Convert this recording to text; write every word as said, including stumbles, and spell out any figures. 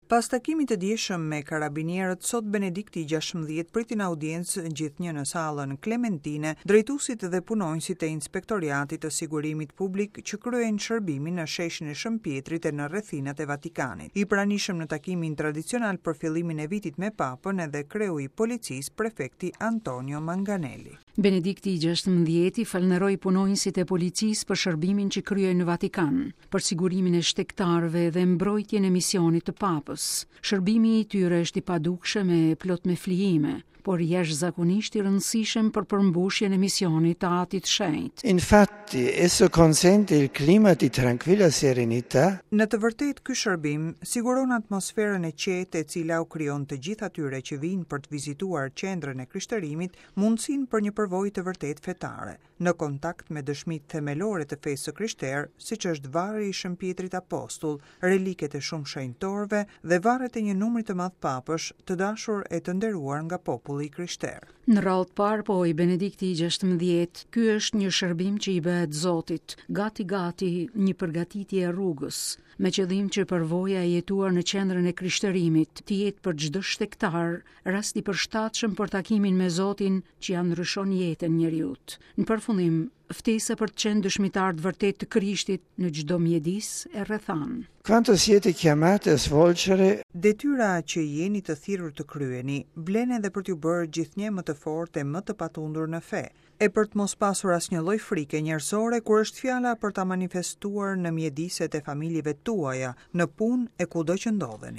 Pas takimit të djeshëm me karabinierët, sot Benedikti i gjashtëmbëdhjetë priti në audiencë gjithnjë në sallën Klementine, drejtuesit dhe punonjësit e Inspektoriatit të Sigurimit Publik që kryejnë shërbimin në sheshin e Shën Pjetrit e në rrethinat e Vatikanit. I pranishëm në takimin tradicional për fillimin e vitit me Papën edhe kreu i policisë, prefekti Antonio Manganelli. Benedikti i gjashtëmbëdhjeti falënderoi punonjësit e policisë për shërbimin që kryejnë në Vatikan, për sigurimin e shtegtarëve dhe mbrojtjen e misionit të Papës. Shërbimi i tyre është i padukshëm e plot me flijime, por jashtëzakonisht i rëndësishëm për përmbushjen e misionit të Atit Shenjt. Infatti, esso consente il clima di tranquilla serenità. Në të vërtetë, ky shërbim siguron atmosferën e qetë e cila u krijon të gjithë atyre që vijnë për të vizituar qendrën e krishterimit mundësinë për një përvojë të vërtetë fetare, në kontakt me dëshmitë themelore të fesë së krishterë, siç është varri i Shën Pjetrit Apostull, reliket e shumë shenjtorëve dhe varret e një numri të madh papësh, të dashur e të nderuar nga populli i krishterë. Në radhë të parë, pohoi Benedikti i gjashtëmbëdhjetë, ky është një shërbim që i bëhet Zotit, gati gati një përgatitje e rrugës, me qëllim që përvoja e jetuar në qendrën e krishterimit të jetë për çdo shtegtar rast i përshtatshëm për takimin me Zotin që ja ndryshon jetën njeriut. Në përfundim, ftesa për të qenë dëshmitar të vërtetë të Krishtit në çdo mjedis e rrethan. Quanto siete chiamati a svolgere Detyra që jeni të thirrur të kryeni, vlen edhe për t'ju bërë gjithnjë më të fortë e më të patundur në fe, e për të mos pasur asnjë lloj frike njerëzore kur është fjala për ta manifestuar në mjediset e familjeve tuaja, në punë e kudo që ndodheni.